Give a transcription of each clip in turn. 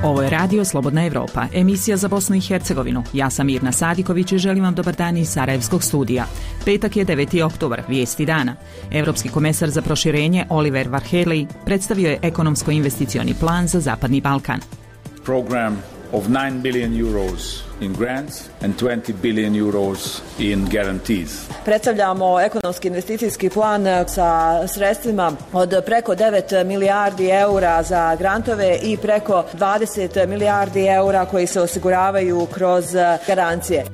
Ovo je Radio Slobodna Evropa, emisija za Bosnu i Hercegovinu. Ja sam Mirna Sadiković i želim vam dobar dan iz Sarajevskog studija. Petak je 9. oktobar, vijesti dana. Europski komesar za proširenje Oliver Varhelyi predstavio je ekonomsko-investicioni plan za Zapadni Balkan. Program of 9 billion euros in grants and 20 billion euros in guarantees. Predstavljamo ekonomski investicijski plan sa sredstvima od preko 9 milijardi eura za grantove i preko 20 milijardi eura koji se osiguravaju kroz garancije.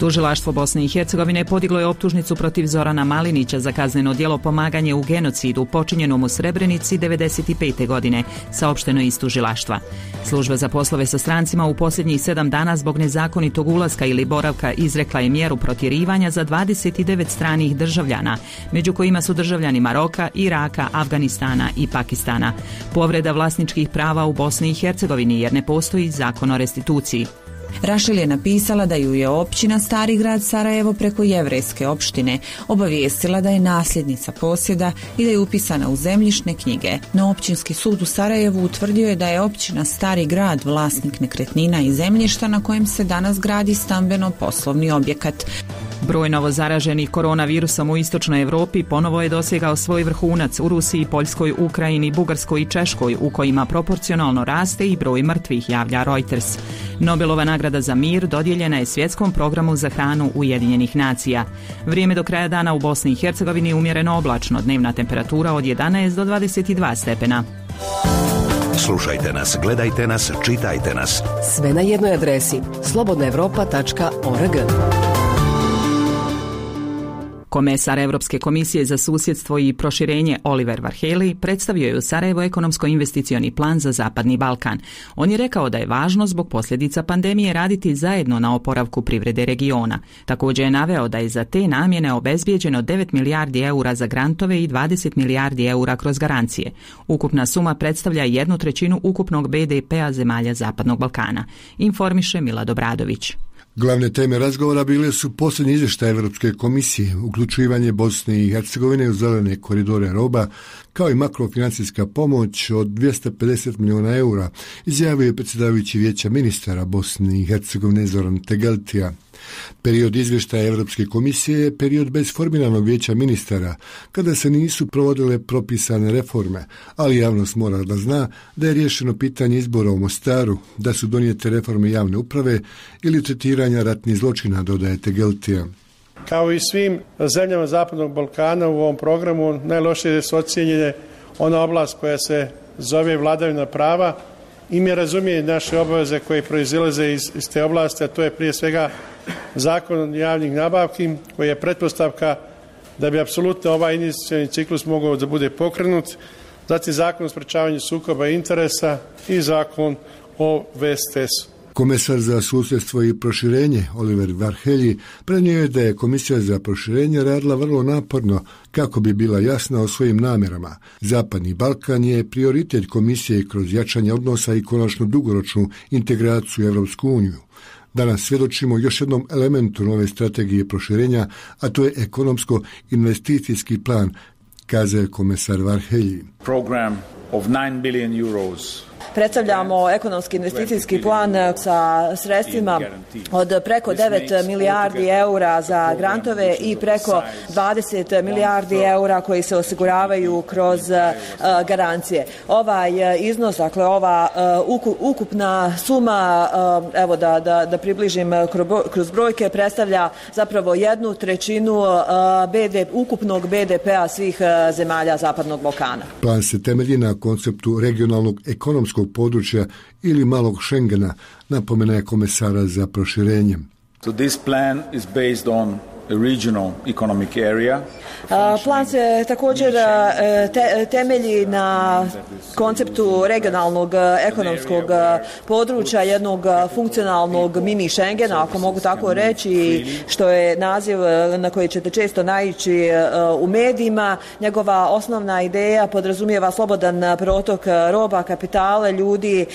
Tužilaštvo Bosne i Hercegovine podiglo je optužnicu protiv Zorana Malinića za kazneno djelo pomaganje u genocidu počinjenom u Srebrenici 1995. godine, saopšteno iz tužilaštva. Služba za poslove sa strancima u posljednjih 7 dana zbog nezakonitog ulaska ili boravka izrekla je mjeru protjerivanja za 29 stranih državljana, među kojima su državljani Maroka, Iraka, Afganistana i Pakistana. Povreda vlasničkih prava u Bosni i Hercegovini jer ne postoji zakon o restituciji. Rašel je napisala da ju je općina Stari grad Sarajevo preko jevrejske opštine obavijestila da je nasljednica posjeda i da je upisana u zemljišne knjige. No općinski sud u Sarajevu utvrdio je da je općina Stari grad vlasnik nekretnina i zemljišta na kojem se danas gradi stambeno-poslovni objekat. Broj novozaraženih koronavirusom u istočnoj Europi ponovo je dosegao svoj vrhunac u Rusiji, Poljskoj, Ukrajini, Bugarskoj i Češkoj, u kojima proporcionalno raste i broj mrtvih, javlja Reuters. Nobelova nagrada za mir dodijeljena je Svjetskom programu za hranu Ujedinjenih nacija. Vrijeme do kraja dana u Bosni i Hercegovini umjereno oblačno, dnevna temperatura od 11 do 22 stepena. Slušajte nas, gledajte nas, čitajte nas. Sve na jednoj adresi slobodnaevropa.org. Komesar Europske komisije za susjedstvo i proširenje Oliver Varhelyi predstavio je u Sarajevu ekonomsko-investicioni plan za Zapadni Balkan. On je rekao da je važno zbog posljedica pandemije raditi zajedno na oporavku privrede regiona. Također je naveo da je za te namjene obezbijeđeno 9 milijardi eura za grantove i 20 milijardi eura kroz garancije. Ukupna suma predstavlja 1/3 ukupnog BDP-a zemalja Zapadnog Balkana, informiše Milad Obradović. Glavne teme razgovora bile su posljednji izvještaj Europske komisije, uključivanje Bosne i Hercegovine u zelene koridore roba, kao i makrofinancijska pomoć od 250 milijuna eura, izjavio je predsjedavajući Vijeća ministara Bosne i Hercegovine Zoran Tegeltija. Period izvještaja Europske komisije je period bez formiranog Vijeća ministara, kada se nisu provodile propisane reforme, ali javnost mora da zna da je riješeno pitanje izbora u Mostaru, da su donijete reforme javne uprave ili tretiranja ratnih zločina, dodaje Tegeltija. Kao i svim zemljama Zapadnog Balkana u ovom programu najlošije su ocijenjene ona oblast koja se zove vladavina prava i mi razumije naše obaveze koje proizilaze iz te oblasti, a to je prije svega zakon javnih nabavki koji je pretpostavka da bi apsolutno ovaj investicioni ciklus mogao da bude pokrenut, zatim zakon o sprečavanju sukoba interesa i zakon o VSTS-u. Komesar za susjedstvo i proširenje Oliver Varhelyi prenio je da je Komisija za proširenje radila vrlo naporno kako bi bila jasna o svojim namjerama. Zapadni Balkan je prioritet Komisije kroz jačanje odnosa i konačnu dugoročnu integraciju u Europsku uniju. Danas svjedočimo još jednom elementu nove strategije proširenja, a to je ekonomsko-investicijski plan, kazao komesar Varhelyi. Program of 9 billion euros. Predstavljamo ekonomski investicijski plan sa sredstvima od preko 9 milijardi eura za grantove i preko 20 milijardi eura koji se osiguravaju kroz garancije. Ovaj iznos, dakle ova ukupna suma, evo da približim kroz brojke, predstavlja zapravo 1/3 ukupnog BDP-a svih zemalja Zapadnog Balkana. Plan se temelji na konceptu regionalnog ekonomskog područja ili malog Schengena, napomenaje komesara za proširenje. So this plan is based on a regional economic area. Plan se također temelji na konceptu regionalnog ekonomskog područja, jednog funkcionalnog mini Schengena, ako mogu tako reći, što je naziv na koji ćete često naići u medijima. Njegova osnovna ideja podrazumijeva slobodan protok roba, kapitala, ljudi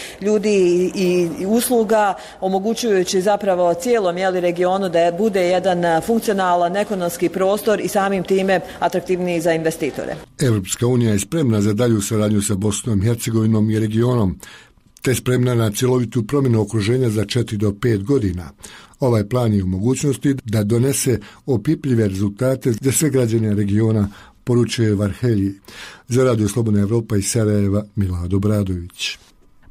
i usluga, omogućujući zapravo cijelom regionu da bude jedan funkcionalan funkcionalan ekonomski prostor i samim time atraktivniji za investitore. Europska unija je spremna za dalju saradnju sa Bosnom i Hercegovinom i regionom, te spremna na cjelovitu promjenu okruženja za 4 do 5 godina. Ovaj plan je u mogućnosti da donese opipljive rezultate za sve građane regiona, poručuje Varhelji. Za Radio Slobodna Evropa iz Sarajeva, Milad Obradović.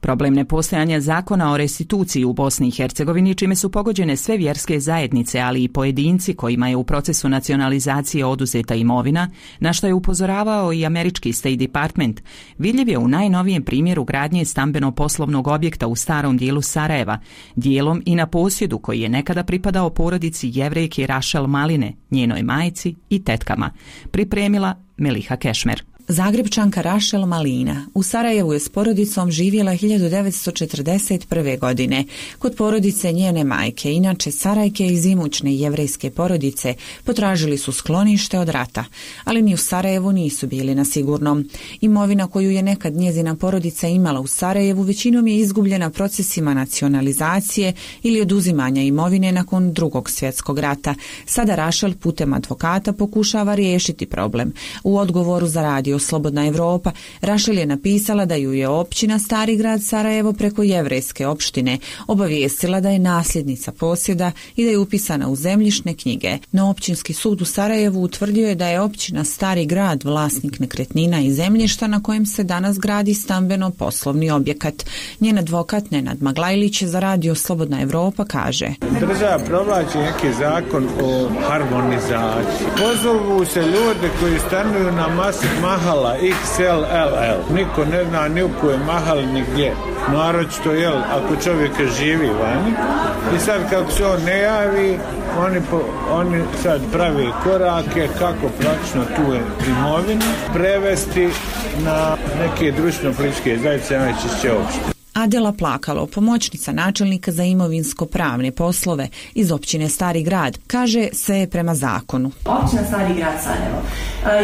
Problem nepostojanja zakona o restituciji u Bosni i Hercegovini, čime su pogođene sve vjerske zajednice, ali i pojedinci kojima je u procesu nacionalizacije oduzeta imovina, na što je upozoravao i američki State Department, vidljiv je u najnovijem primjeru gradnje stambeno-poslovnog objekta u starom dijelu Sarajeva, dijelom i na posjedu koji je nekada pripadao porodici Jevrejke Rachel Maline, njenoj majci i tetkama, pripremila Meliha Kešmer. Zagrebčanka Rachel Malina u Sarajevu je s porodicom živjela 1941. godine. Kod porodice njene majke, inače Sarajke iz imućne jevrejske porodice, potražili su sklonište od rata, ali ni u Sarajevu nisu bili na sigurnom. Imovina koju je nekad njezina porodica imala u Sarajevu većinom je izgubljena procesima nacionalizacije ili oduzimanja imovine nakon Drugog svjetskog rata. Sada Rachel putem advokata pokušava riješiti problem. U odgovoru za Radio Slobodna Evropa, Rachel je napisala da ju je općina Stari grad Sarajevo preko jevrejske opštine obavijestila da je nasljednica posjeda i da je upisana u zemljišne knjige. No općinski sud u Sarajevu utvrdio je da je općina Stari grad vlasnik nekretnina i zemljišta na kojem se danas gradi stambeno-poslovni objekat. Njen advokat Nenad Maglajlić za Radio Slobodna Evropa kaže: Država provlači neki zakon o harmonizaciji. Pozovu se ljude koji stanuju na Masjid Mahal XLLL. Niko ne zna ni u koje mahali ni gdje. Naročito, ako čovjek živi vani. I sad kako se on ne javi, oni sad pravi korake kako praktično tu imovinu prevesti na neke društveno-političke zajednice, najčešće opštine. Adela Plakalo, pomoćnica načelnika za imovinsko-pravne poslove iz općine Stari grad, kaže sve je prema zakonu. Općina Stari grad Sarajevo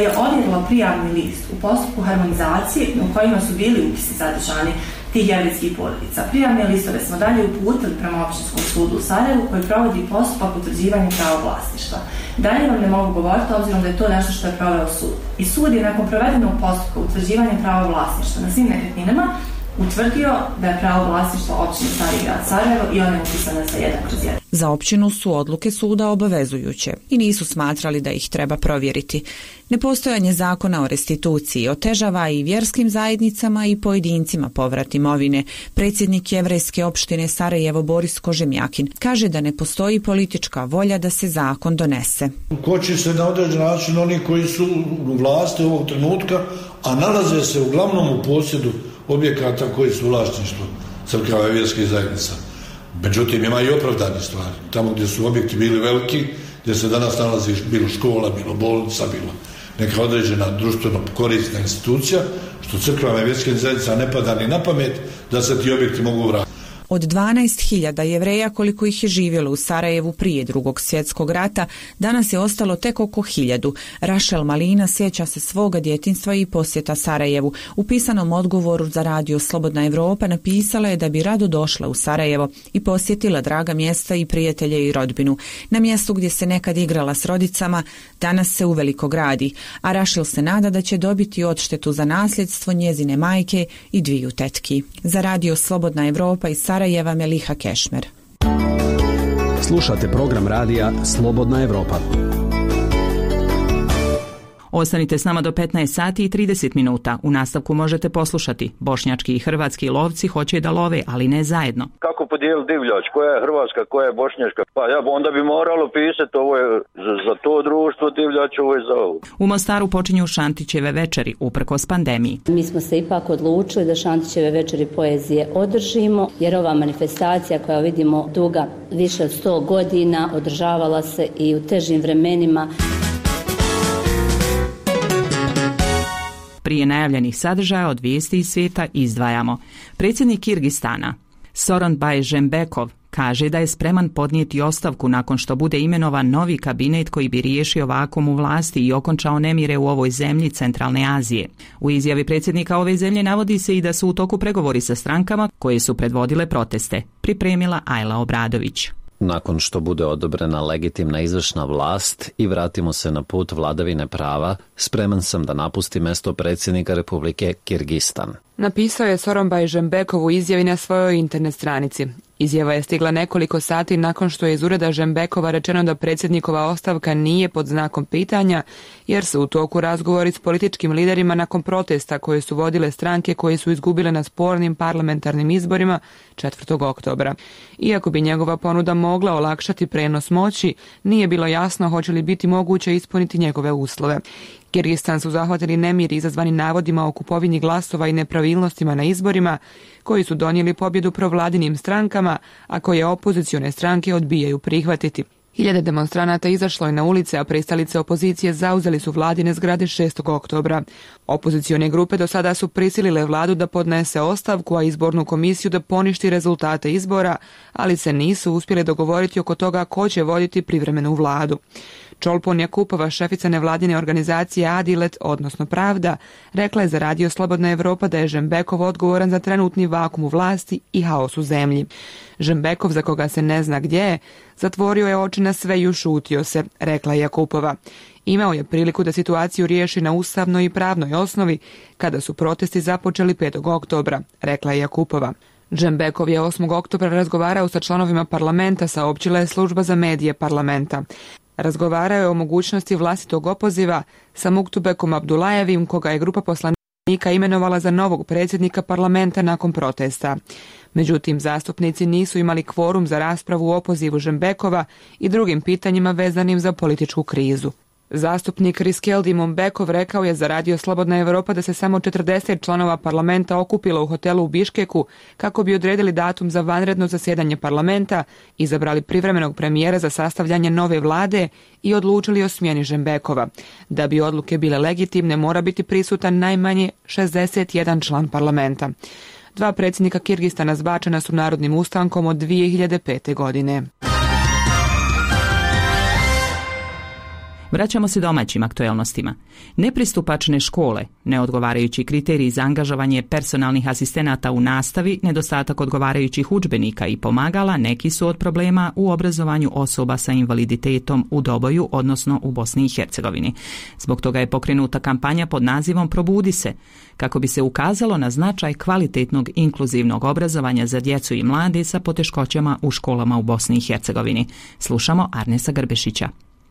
je odredila prijavni list u postupku harmonizacije u kojima su bili upisi sadržani tih jevrejskih porodica. Prijavne listove smo dalje uputili prema općinskom sudu u Sarajevu koji provodi postupak utvrđivanja prava vlasništva. Dalje vam ne mogu govoriti obzirom da je to nešto što je proveo sud. I sud je nakon provedenog postupka utvrđivanja prava vlasništva na svim nekretninama utvrdio da je pravo vlasništva općine Stari grad Sarajevo i ona je upisana sa 1/1. Za općinu su odluke suda obavezujuće i nisu smatrali da ih treba provjeriti. Nepostojanje zakona o restituciji otežava i vjerskim zajednicama i pojedincima povrat imovine. Predsjednik jevrejske opštine Sarajevo Boris Kožemjakin kaže da ne postoji politička volja da se zakon donese. Koči se na određen način oni koji su u vlasti ovog trenutka, a nalaze se uglavnom u posjedu objekata koji su vlasništvo crkava i vjerskih zajednica. Međutim, ima i opravdane stvari. Tamo gdje su objekti bili veliki, gdje se danas nalazi bilo škola, bilo bolnica, bilo neka određena društveno korisna institucija, što crkvama i vjerskim zajednicama ne pada ni na pamet da se ti objekti mogu vratiti. Od 12.000 Jevreja koliko ih je živjelo u Sarajevu prije Drugog svjetskog rata, danas je ostalo tek oko 1000. Rachel Malina sjeća se svoga djetinjstva i posjeta Sarajevu. U pisanom odgovoru za Radio Slobodna Evropa napisala je da bi rado došla u Sarajevo i posjetila draga mjesta i prijatelje i rodbinu. Na mjestu gdje se nekad igrala s rodicama, danas se uveliko gradi, a Rachel se nada da će dobiti odštetu za nasljedstvo njezine majke i 2 tetki. Za Radio Slobodna Evropa iz Sarajeva, Meliha Kešmer. Slušate program radija Slobodna Evropa. Ostanite s nama do 15 sati i 30 minuta. U nastavku možete poslušati: bošnjački i hrvatski lovci hoće da love, ali ne zajedno. Kako podijeliti divljač? Koja je hrvatska, koja je bošnjačka? Pa onda bi moralo pisati ovo je za to društvo divljač, ovo je za ovo. U Mostaru počinju Šantićeve večeri uprkos pandemiji. Mi smo se ipak odlučili da Šantićeve večeri poezije održimo, jer ova manifestacija koja vidimo duga više od 100 godina održavala se i u težim vremenima. Prije najavljenih sadržaja od vijesti iz svijeta izdvajamo. Predsjednik Kirgistana, Soronbay Jeenbekov, kaže da je spreman podnijeti ostavku nakon što bude imenovan novi kabinet koji bi riješio vakuum u vlasti i okončao nemire u ovoj zemlji centralne Azije. U izjavi predsjednika ove zemlje navodi se i da su u toku pregovori sa strankama koje su predvodile proteste, pripremila Ajla Obradović. U nakon što bude odobrena legitimna izvršna vlast i vratimo se na put vladavine prava, spreman sam da napustim mesto predsjednika Republike Kirgistan. Napisao je Sooronbay Jeenbekov u izjavi na svojoj internet stranici. Izjava je stigla nekoliko sati nakon što je iz ureda Jeenbekova rečeno da predsjednikova ostavka nije pod znakom pitanja, jer su u toku razgovori s političkim liderima nakon protesta koje su vodile stranke koje su izgubile na spornim parlamentarnim izborima 4. oktobra. Iako bi njegova ponuda mogla olakšati prenos moći, nije bilo jasno hoće li biti moguće ispuniti njegove uslove. Kirgistan su zahvatili nemiri izazvani navodima o kupovini glasova i nepravilnostima na izborima, koji su donijeli pobjedu provladinim strankama, a koje opozicione stranke odbijaju prihvatiti. Hiljade demonstranata izašlo je na ulice, a pristalice opozicije zauzeli su vladine zgrade 6. oktobra. Opozicione grupe do sada su prisilile vladu da podnese ostavku, a izbornu komisiju da poništi rezultate izbora, ali se nisu uspjeli dogovoriti oko toga ko će voditi privremenu vladu. Cholpon Jakupova, šefica nevladine organizacije Adilet, odnosno Pravda, rekla je za Radio Slobodna Evropa da je Jeenbekov odgovoran za trenutni vakum u vlasti i haos u zemlji. Jeenbekov, za koga se ne zna gdje je, zatvorio je oči na sve i ušutio se, rekla je Jakupova. Imao je priliku da situaciju riješi na ustavnoj i pravnoj osnovi kada su protesti započeli 5. oktobra, rekla je Jakupova. Jeenbekov je 8. oktobra razgovarao sa članovima parlamenta, saopćila je služba za medije parlamenta. Razgovarao je o mogućnosti vlastitog opoziva sa Muktubekom Abdulajevim, koga je grupa poslanika imenovala za novog predsjednika parlamenta nakon protesta. Međutim, zastupnici nisu imali kvorum za raspravu o opozivu Jeenbekova i drugim pitanjima vezanim za političku krizu. Zastupnik Riskeldi Mumbekov rekao je za Radio Slobodna Evropa da se samo 40 članova parlamenta okupilo u hotelu u Biškeku kako bi odredili datum za vanredno zasjedanje parlamenta, izabrali privremenog premijera za sastavljanje nove vlade i odlučili o smjeni Jeenbekova. Da bi odluke bile legitimne, mora biti prisutan najmanje 61 član parlamenta. 2 predsjednika Kirgistana zbačena su narodnim ustankom od 2005. godine. Vraćamo se domaćim aktuelnostima. Nepristupačne škole, neodgovarajući kriteriji za angažovanje personalnih asistenata u nastavi, nedostatak odgovarajućih udžbenika i pomagala neki su od problema u obrazovanju osoba sa invaliditetom u Doboju, odnosno u Bosni i Hercegovini. Zbog toga je pokrenuta kampanja pod nazivom Probudi se, kako bi se ukazalo na značaj kvalitetnog inkluzivnog obrazovanja za djecu i mlade sa poteškoćama u školama u Bosni i Hercegovini. Slušamo Arnesa Grbešića.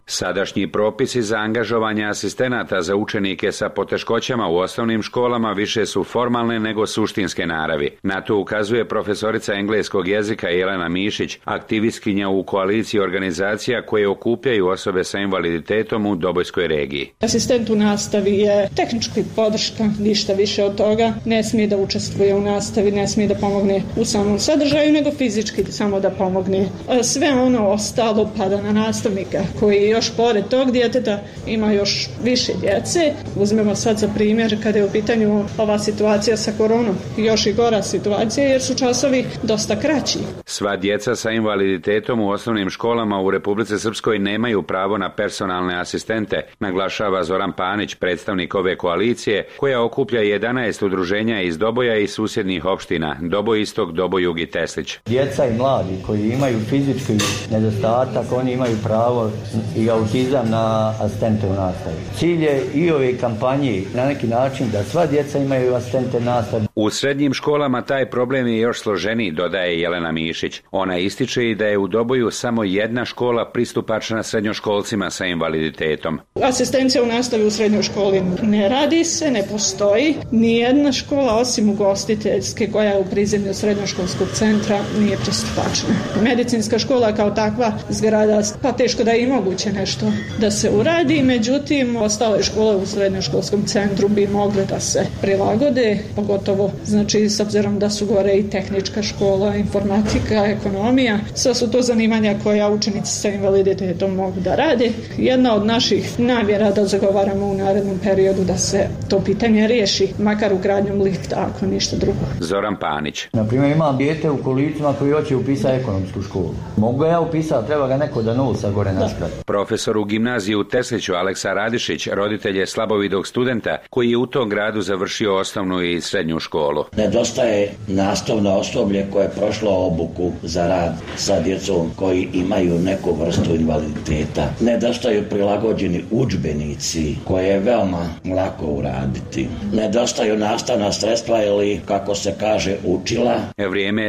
Sadašnji propisi za angažovanje asistenata za učenike sa poteškoćama u osnovnim školama više su formalne nego suštinske naravi. Na to ukazuje profesorica engleskog jezika Jelena Mišić, aktivistkinja u koaliciji organizacija koje okupljaju osobe sa invaliditetom u Dobojskoj regiji. Asistent u nastavi je tehnički podrška, ništa više od toga. Ne smije da učestvuje u nastavi, ne smije da pomogne u samom sadržaju, nego fizički samo da pomogne. Sve ono ostalo pada na nastavnika koji još pored tog djeteta ima još više djece. Uzmemo sad za primjer kada je u pitanju ova situacija sa koronom. Još i gora situacija jer su časovi dosta kraći. Sva djeca sa invaliditetom u osnovnim školama u Republici Srpskoj nemaju pravo na personalne asistente, naglašava Zoran Panić, predstavnik ove koalicije, koja okuplja 11 udruženja iz Doboja i susjednih opština, Doboj Istok, Doboj Jug i Teslić. Djeca i mladi koji imaju fizički nedostatak, oni imaju pravo i autizam na asistente u nastavi. Cilj je i ove kampanje na neki način da sva djeca imaju asistente nastavi. U srednjim školama taj problem je još složeniji, dodaje Jelena Mišić. Ona ističe i da je u Doboju samo jedna škola pristupačna srednjoškolcima sa invaliditetom. Asistencija u nastavi u srednjoj školi ne radi se, ne postoji. Nijedna škola osim ugostiteljske koja je u prizemlju srednjoškolskog centra nije pristupačna. Medicinska škola kao takva zgrada, pa teško da je i moguće nešto da se uradi, međutim ostale škole u srednjoškolskom centru bi mogle da se prilagode, pogotovo znači s obzirom da su gore i tehnička škola, informatika, ekonomija, sve su to zanimanja koja učenici sa invaliditetom mogu da rade. Jedna od naših namjera da zagovaramo u narednom periodu da se to pitanje riješi, makar ugradnjom lifta, ako ništa drugo. Zoran Panić. Naprimjer, imam dijete u kolicima koji hoće upisati ekonomsku školu. Mogu ja upisati, treba ga neko da nosa gore naskrati. Profesor u gimnaziji u Tesliću Aleksa Radišić roditelj je slabovidog studenta koji je u tom gradu završio osnovnu i srednju školu. Nedostaje nastavno osoblje koje je prošlo obuku za rad sa djecom koji imaju neku vrstu invaliditeta. Nedostaju prilagođeni udžbenici koje je veoma lako uraditi. Nedostaju nastavna sredstva ili, kako se kaže, učila. Vrijeme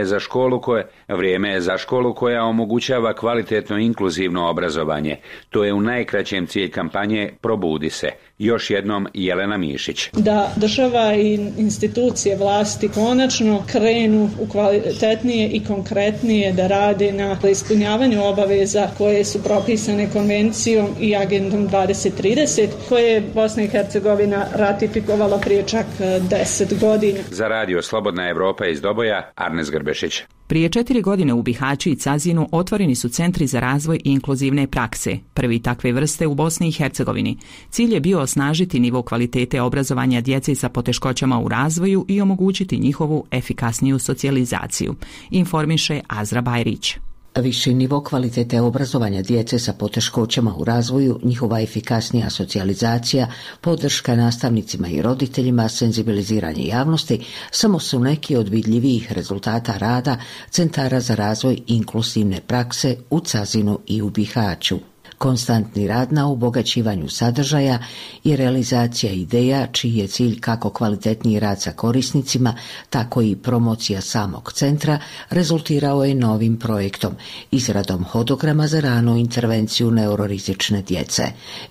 je za školu koja omogućava kvalitetno inkluzivno obrazovanje. To je u najkraćem cilj kampanje Probudi se. Još jednom Jelena Mišić. Da država i institucije vlasti konačno krenu u kvalitetnije i konkretnije da rade na ispunjavanju obaveza koje su propisane konvencijom i agendom 2030 koje je Bosna i Hercegovina ratifikovala prije čak 10 godina. Za radio Slobodna Evropa iz Doboja, Arnes Grbešić. Prije 4 godine u Bihaću i Cazinu otvoreni su centri za razvoj i inkluzivne prakse, prvi takve vrste u Bosni i Hercegovini. Cilj je bio osnažiti nivo kvalitete obrazovanja djece sa poteškoćama u razvoju i omogućiti njihovu efikasniju socijalizaciju, informiše Azra Bajrić. Viši nivo kvalitete obrazovanja djece sa poteškoćama u razvoju, njihova efikasnija socijalizacija, podrška nastavnicima i roditeljima, senzibiliziranje javnosti samo su neki od vidljivijih rezultata rada centara za razvoj inkluzivne prakse u Cazinu i u Bihaću. Konstantni rad na obogaćivanju sadržaja i realizacija ideja čiji je cilj kako kvalitetniji rad sa korisnicima, tako i promocija samog centra rezultirao je novim projektom, izradom hodograma za ranu intervenciju neurorizične djece.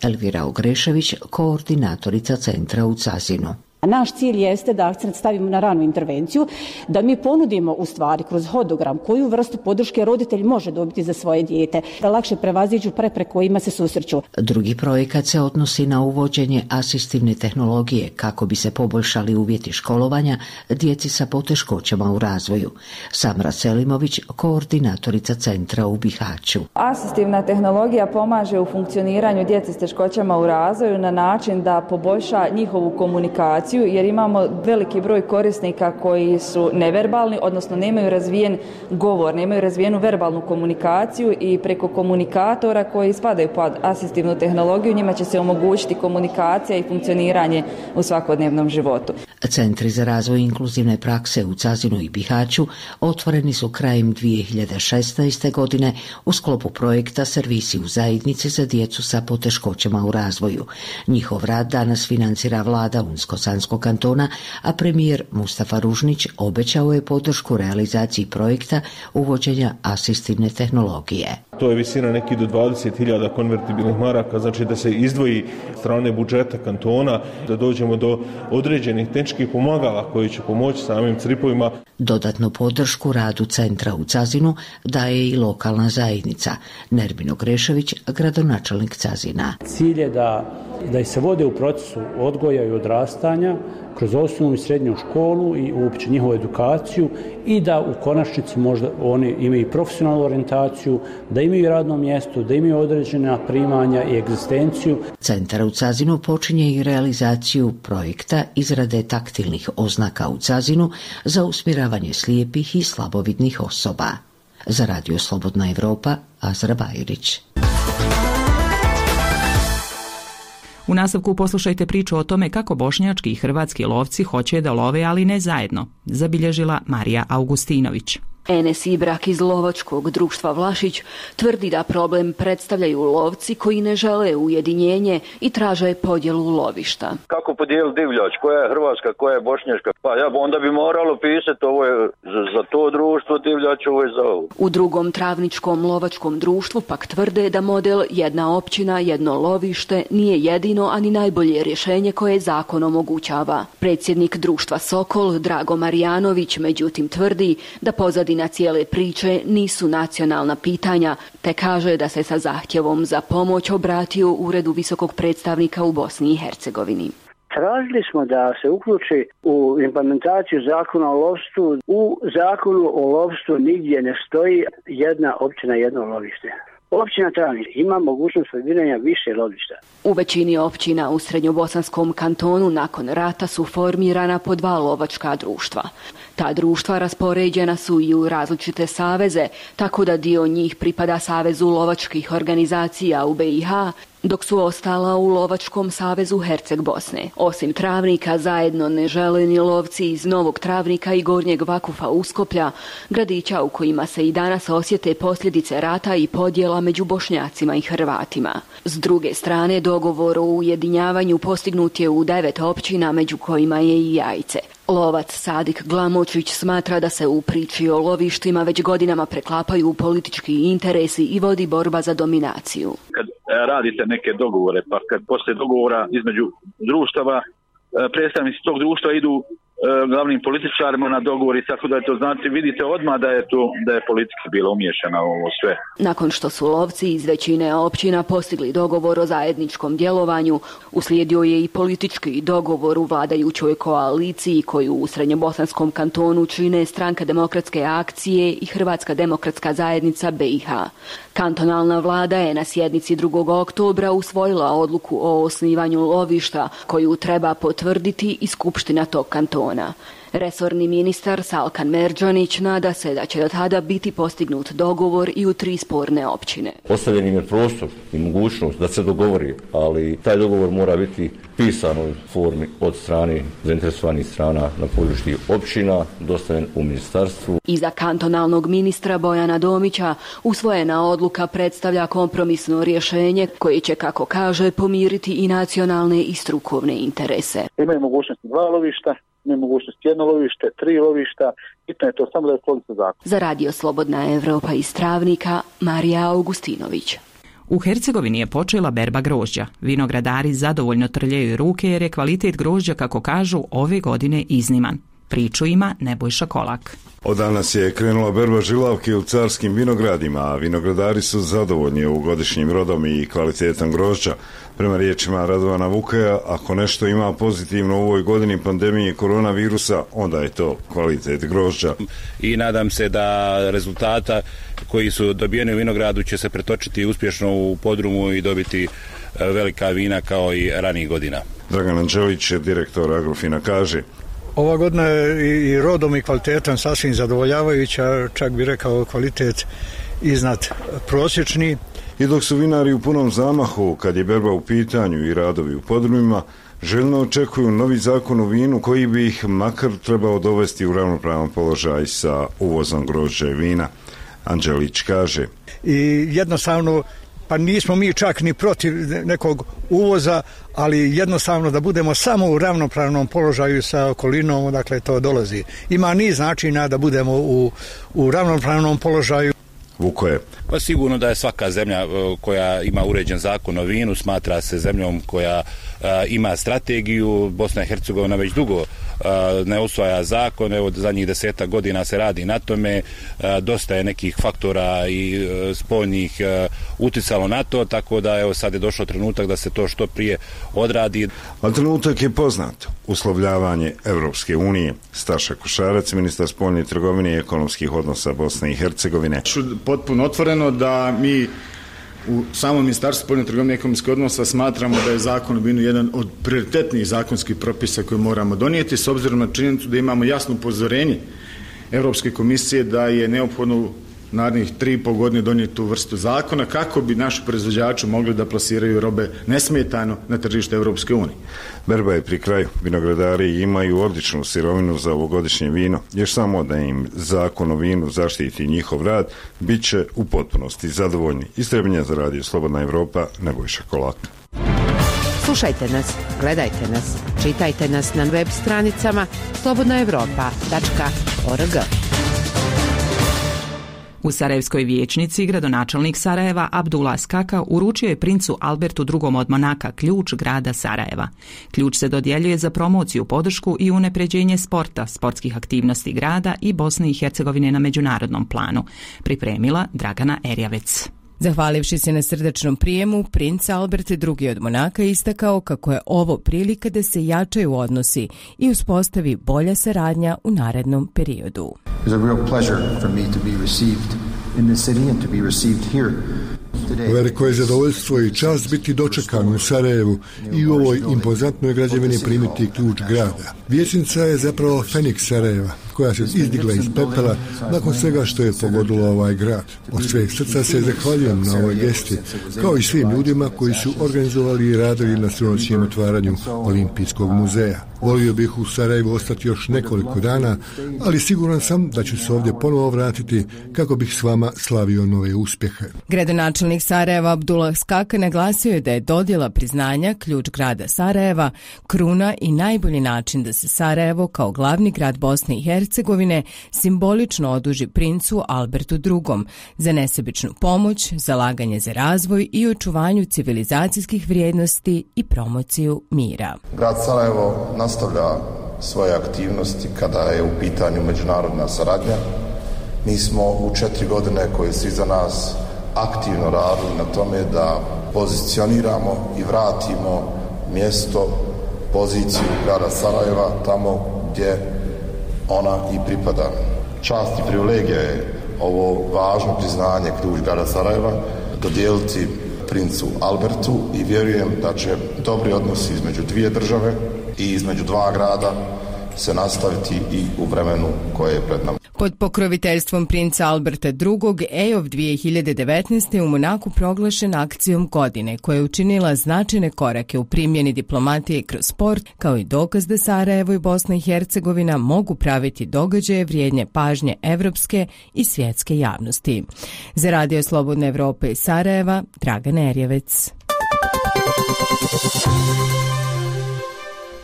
Elvira Ogrešević, koordinatorica centra u Cazinu. Naš cilj jeste da akcent stavimo na ranu intervenciju, da mi ponudimo u stvari kroz hodogram koju vrstu podrške roditelj može dobiti za svoje dijete, da lakše prevaziđu prepreke kojima se susreću. Drugi projekat se odnosi na uvođenje asistivne tehnologije kako bi se poboljšali uvjeti školovanja djeci sa poteškoćama u razvoju. Samra Selimović, koordinatorica centra u Bihaću. Asistivna tehnologija pomaže u funkcioniranju djece s teškoćama u razvoju na način da poboljša njihovu komunikaciju, jer imamo veliki broj korisnika koji su neverbalni, odnosno nemaju razvijen govor, nemaju razvijenu verbalnu komunikaciju i preko komunikatora koji spadaju pod asistivnu tehnologiju njima će se omogućiti komunikacija i funkcioniranje u svakodnevnom životu. Centri za razvoj inkluzivne prakse u Cazinu i Bihaću otvoreni su krajem 2016. godine u sklopu projekta Servisi u zajednici za djecu sa poteškoćama u razvoju. Njihov rad danas financira vlada Unsko-Sanskog kantona, a premijer Mustafa Ružnić obećao je podršku realizaciji projekta uvođenja asistivne tehnologije. To je visina neki do 20.000 konvertibilnih maraka, znači da se izdvoji strane budžeta kantona, da dođemo do određenih tehničkih pomagala koji će pomoći samim cripovima. Dodatnu podršku radu centra u Cazinu daje i lokalna zajednica. Nermin Ogrešević, gradonačelnik Cazina. Cilj je da se vode u procesu odgoja i odrastanja kroz osnovnu i srednju školu i uopće njihovu edukaciju i da u konačnici možda oni imaju profesionalnu orijentaciju, da imaju radno mjesto, da imaju određena primanja i egzistenciju. Centar u Cazinu počinje i realizaciju projekta izrade taktilnih oznaka u Cazinu za usmjeravanje slijepih i slabovidnih osoba. Za radio Slobodna Evropa, Azra Bajrić. U nastavku poslušajte priču o tome kako bošnjački i hrvatski lovci hoće da love, ali ne zajedno, zabilježila Marija Augustinović. Enes Ibrak iz lovačkog društva Vlašić tvrdi da problem predstavljaju lovci koji ne žele ujedinjenje i traže podjelu lovišta. Kako podijeliti divljač? Koja je hrvatska, koja je bošnjačka? Pa onda bi moralo pisati ovo je za to društvo divljač, ovo je za ovo. U drugom travničkom lovačkom društvu pak tvrde da model jedna općina, jedno lovište nije jedino, ani najbolje rješenje koje zakon omogućava. Predsjednik društva Sokol, Drago Marijanović, međutim tvrdi da pozadina cijele priče nisu nacionalna pitanja, te kaže da se sa zahtjevom za pomoć obratio Uredu visokog predstavnika u Bosni i Hercegovini. Tražili smo da se uključi u implementaciju zakona o lovstvu. U zakonu o lovstvu nigdje ne stoji jedna općina, jedno lovište. Općina Travnik ima mogućnost formiranja više lovišta. U većini općina u Srednjobosanskom kantonu nakon rata su formirana po 2 lovačka društva. Ta društva raspoređena su i u različite saveze, tako da dio njih pripada Savezu lovačkih organizacija u BiH, dok su ostala u Lovačkom savezu Herceg Bosne. Osim Travnika, zajedno ne žele ni lovci iz Novog Travnika i Gornjeg Vakufa Uskoplja, gradića u kojima se i danas osjete posljedice rata i podjela među Bošnjacima i Hrvatima. S druge strane, dogovor o ujedinjavanju postignut je u 9 općina, među kojima je i Jajce. Lovac Sadik Glamočić smatra da se u priči o lovištima već godinama preklapaju politički interesi i vodi borba za dominaciju. Kad radite neke dogovore, pa kad poslije dogovora između društava, predstavnici tog društva idu glavnim političarima na dogovor i tako da je to, znači vidite odmah da je politika bila umiješana u ovo sve. Nakon što su lovci iz većine općina postigli dogovor o zajedničkom djelovanju, uslijedio je i politički dogovor u vladajućoj koaliciji koju u Srednjobosanskom kantonu čine Stranka demokratske akcije i Hrvatska demokratska zajednica BiH. Kantonalna vlada je na sjednici 2. oktobra usvojila odluku o osnivanju lovišta koju treba potvrditi i skupština tog kantona. Resorni ministar Salkan Merdžanić nada se da će do tada biti postignut dogovor i u 3 sporne općine. Ostavljen im je prostor i mogućnost da se dogovori, ali taj dogovor mora biti pisan u formi od strane zainteresovanih strana na području općina, dostavljen u ministarstvu. Iza kantonalnog ministra Bojana Domića usvojena odluka predstavlja kompromisno rješenje koje će, kako kaže, pomiriti i nacionalne i strukovne interese. Imaju mogućnosti 2 lovišta, imaju mogućnost 1 lovište, 3 lovišta, bitno je to samo da je polica zakon. Za Radio Slobodna Evropa iz Travnika, Marija Augustinović. U Hercegovini je počela berba grožđa. Vinogradari zadovoljno trljaju ruke jer je kvalitet grožđa, kako kažu, ove godine izniman. Priču ima Nebojša Kolak. Od danas je krenula berba žilavke u carskim vinogradima, a vinogradari su zadovoljni ovogodišnjim rodom i kvalitetom grožđa. Prema riječima Radovana Vukaja, ako nešto ima pozitivno u ovoj godini pandemije koronavirusa, onda je to kvalitet grožđa. I nadam se da rezultata koji su dobijeni u vinogradu će se pretočiti uspješno u podrumu i dobiti velika vina kao i ranijih godina. Dragan Anđelić, direktor Agrofina, kaže: ova godina je i rodom i kvalitetom sasvim zadovoljavajuća, čak bi rekao kvalitet iznad prosječni. I dok su vinari u punom zamahu, kad je berba u pitanju i radovi u podrumima, željno očekuju novi zakon o vinu koji bi ih makar trebao dovesti u ravnopravan položaj sa uvozom grožđa i vina. Anđelić kaže: i jednostavno, pa nismo mi čak ni protiv nekog uvoza, ali jednostavno da budemo samo u ravnopravnom položaju sa okolinom, dakle to dolazi. Ima niz načina da budemo u ravnopravnom položaju. Vukoje. Pa sigurno da je svaka zemlja koja ima uređen zakon o vinu smatra se zemljom koja ima strategiju. Bosna i Hercegovina već dugo ne usvaja zakon, evo zadnjih 10 godina se radi na tome, dosta je nekih faktora i spoljnih uticalo na to, tako da evo sad je došao trenutak da se to što prije odradi. A trenutak je poznat, uslovljavanje Evropske unije. Staša Košarac, ministar spoljne trgovine i ekonomskih odnosa Bosne i Hercegovine. Potpuno otvoreno da mi u samom Ministarstvu spoljne trgovine i ekonomskih odnosa smatramo da je zakon o vinu jedan od prioritetnijih zakonskih propisa koje moramo donijeti, s obzirom na činjenicu da imamo jasno upozorenje Europske komisije da je neophodno narednih 3,5 godine donijeti tu vrstu zakona kako bi naši proizvođači mogli da plasiraju robe nesmetano na tržište Europske unije. Berba je pri kraju. Vinogradari imaju odličnu sirovinu za ovogodišnje vino. Još samo da im zakon o vinu zaštiti njihov rad, bit će u potpunosti zadovoljni. Iz Trebinja za Radio Slobodna Evropa, Nebojša Kolak. Slušajte nas, gledajte nas, čitajte nas na web stranicama slobodnaevropa.org. U Sarajevskoj vijećnici gradonačelnik Sarajeva Abdullah Skaka uručio je princu Albertu II. Od Monaka ključ grada Sarajeva. Ključ se dodjeljuje za promociju, podršku i unapređenje sporta, sportskih aktivnosti grada i Bosne i Hercegovine na međunarodnom planu. Pripremila Dragana Erjavec. Zahvalivši se na srdečnom prijemu, princ Albert II. Od Monaka istakao kako je ovo prilika da se jačaju odnosi i uspostavi bolja saradnja u narednom periodu. It's a real pleasure for me to be received in the city and to be received here. Veliko je zadovoljstvo i čast biti dočekan u Sarajevu i u ovoj impozantnoj građevini primiti ključ grada. Vijećnica je zapravo Feniks Sarajeva, koja se izdigla iz pepela nakon svega što je pogodilo ovaj grad. Od sveg srca se zahvaljujem na ovoj gesti, kao i svim ljudima koji su organizovali i radili na sinoćnjem otvaranju Olimpijskog muzeja. Volio bih u Sarajevu ostati još nekoliko dana, ali siguran sam da ću se ovdje ponovo vratiti kako bih s vama slavio nove uspjehe. Gradonačelnik Sarajeva Abdullah Skaka naglasio je da je dodjela priznanja ključ grada Sarajeva kruna i najbolji način da se Sarajevo kao glavni grad Bosne i Hercegovine simbolično oduži princu Albertu II za nesebičnu pomoć, zalaganje za razvoj i očuvanju civilizacijskih vrijednosti i promociju mira. Grad Sarajevo nastavlja svoje aktivnosti kada je u pitanju međunarodna saradnja. Mi smo u 4 godine koje su iza nas aktivno radili na tome da pozicioniramo i vratimo mjesto, poziciju grada Sarajeva tamo gdje ona i pripada. Čast i privilegija je ovo važno priznanje ključ grada Sarajeva dodijeliti princu Albertu i vjerujem da će dobri odnosi između dvije države i između dva grada se nastaviti i u vremenu koje je pred nama. Pod pokroviteljstvom princa Alberta II. EOF 2019. u Monaku proglašen akcijom godine koja je učinila značajne korake u primjeni diplomatije kroz sport, kao i dokaz da Sarajevo i Bosna i Hercegovina mogu praviti događaje vrijedne pažnje evropske i svjetske javnosti. Za Radio Slobodne Evrope iz Sarajeva, Dragan Erjevec.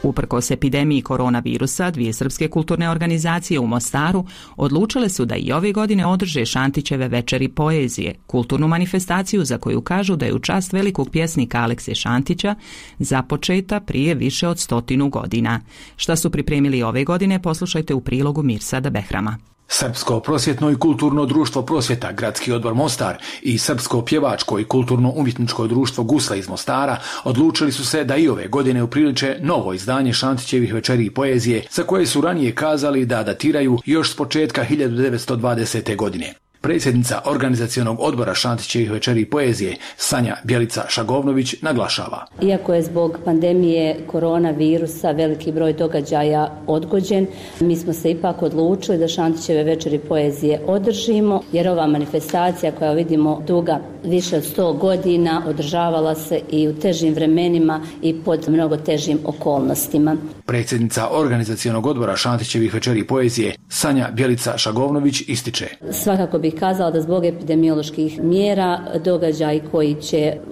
Uprkos epidemiji koronavirusa, 2 srpske kulturne organizacije u Mostaru odlučile su da i ove godine održe Šantićeve večeri poezije, kulturnu manifestaciju za koju kažu da je u čast velikog pjesnika Alekse Šantića započeta prije više od 100 godina. Šta su pripremili ove godine, poslušajte u prilogu Mirsada Behrama. Srpsko prosvjetno i kulturno društvo Prosvjeta, Gradski odbor Mostar i Srpsko pjevačko i kulturno-umjetničko društvo Gusla iz Mostara odlučili su se da i ove godine upriliče novo izdanje Šantićevih večeri poezije, za koje su ranije kazali da datiraju još s početka 1920. godine. Predsjednica organizacionog odbora Šantićevih večeri poezije Sanja Bjelica-Šagovnović naglašava. Iako je zbog pandemije koronavirusa veliki broj događaja odgođen, mi smo se ipak odlučili da Šantićeve večeri poezije održimo, jer ova manifestacija koja vidimo duga više od 100 godina održavala se i u težim vremenima i pod mnogo težim okolnostima. Predsjednica organizacionog odbora Šantićevih večeri poezije Sanja Bjelica-Šagovnović ističe. Svakako bih kazala da zbog epidemioloških mjera događaji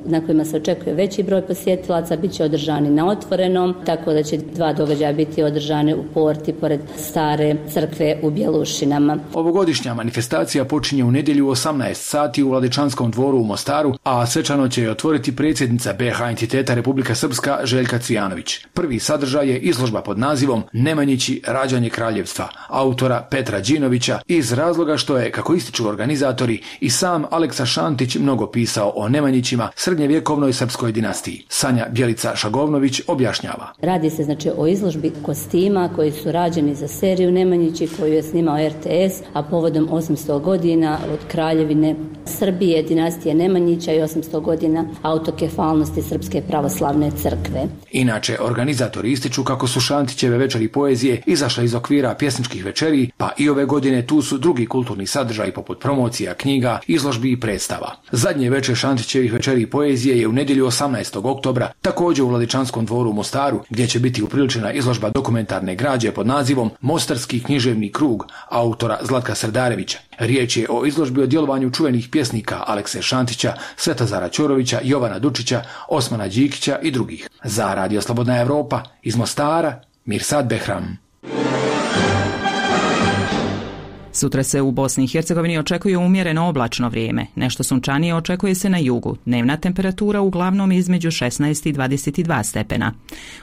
na kojima se očekuje veći broj posjetilaca bit će održani na otvorenom, tako da će 2 događaja biti održane u Porti pored stare crkve u Bjelušinama. Ovogodišnja manifestacija počinje u nedjelju u 18 sati u Vladičanskom dvoru u Mostaru, a svečano će je otvoriti predsjednica BiH entiteta Republika Srpska Željka Cvijanović. Prvi sadržaj je izložba pod nazivom Nemanjići rađanje kraljevstva autora Petra Đinovića iz razloga što je, kako ističu organizatori, i sam Aleksa Šantić mnogo pisao o Nemanjićima, srednjevjekovnoj srpskoj dinastiji. Sanja Bjelica-Šagovnović objašnjava. Radi se o izložbi kostima koji su rađeni za seriju Nemanjići koju je snimao RTS, a povodom 800 godina od kraljevine Srbije, dinastije Nemanjića i 800 godina autokefalnosti Srpske pravoslavne crkve. Inače, organizatori ističu kako su Šantićeve večeri poezije izašle iz okvira pjesničkih večeri, pa i ove godine tu su drugi kulturni sadržaji poput promocija, knjiga, izložbi i predstava. Zadnje večer Šantićevih večeri poezije je u nedjelju 18. oktobra, također u Vladičanskom dvoru u Mostaru, gdje će biti upriličena izložba dokumentarne građe pod nazivom Mostarski književni krug autora Zlatka Srdarevića. Riječ je o izložbi o djelovanju čuvenih pjesnika Alekse Šantića, Svetozara Ćorovića, Jovana Dučića, Osmana Đikića i drugih. Za Radio Slobodna Evropa iz Mostara, Mirsad Behram. Sutra se u Bosni i Hercegovini očekuje umjereno oblačno vrijeme. Nešto sunčanije očekuje se na jugu. Dnevna temperatura uglavnom između 16 i 22 stepena.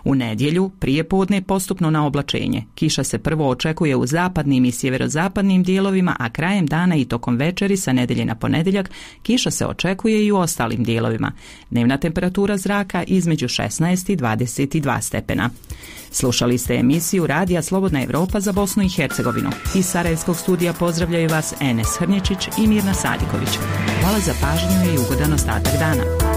U nedjelju prije podne postupno na oblačenje. Kiša se prvo očekuje u zapadnim i sjeverozapadnim dijelovima, a krajem dana i tokom večeri sa nedjelje na ponedjeljak kiša se očekuje i u ostalim dijelovima. Dnevna temperatura zraka između 16 i 22 stepena. Slušali ste emisiju Radija Slobodna Evropa za Bosnu i Hercegovinu. Iz Sarajevskog studija studija pozdravljaju vas Enes Hrnječić i Mirna Sadiković. Hvala za pažnju i ugodan ostatak dana.